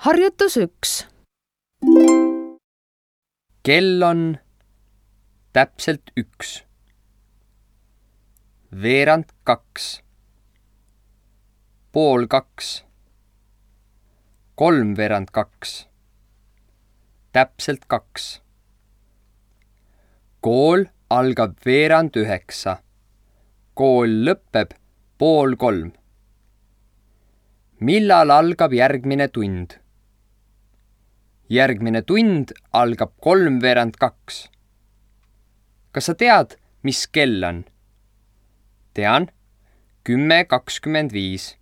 Harjutus 1. Kell on täpselt 1. Veerand 2. Pool 2. 3/2. Täpselt 2. Kool algab 8:30. Kool lõpeb 2:30. Millal algab järgmine tund? Järgmine tund algab 3:2. Kas sa tead, mis kell on? Tean, 10:25.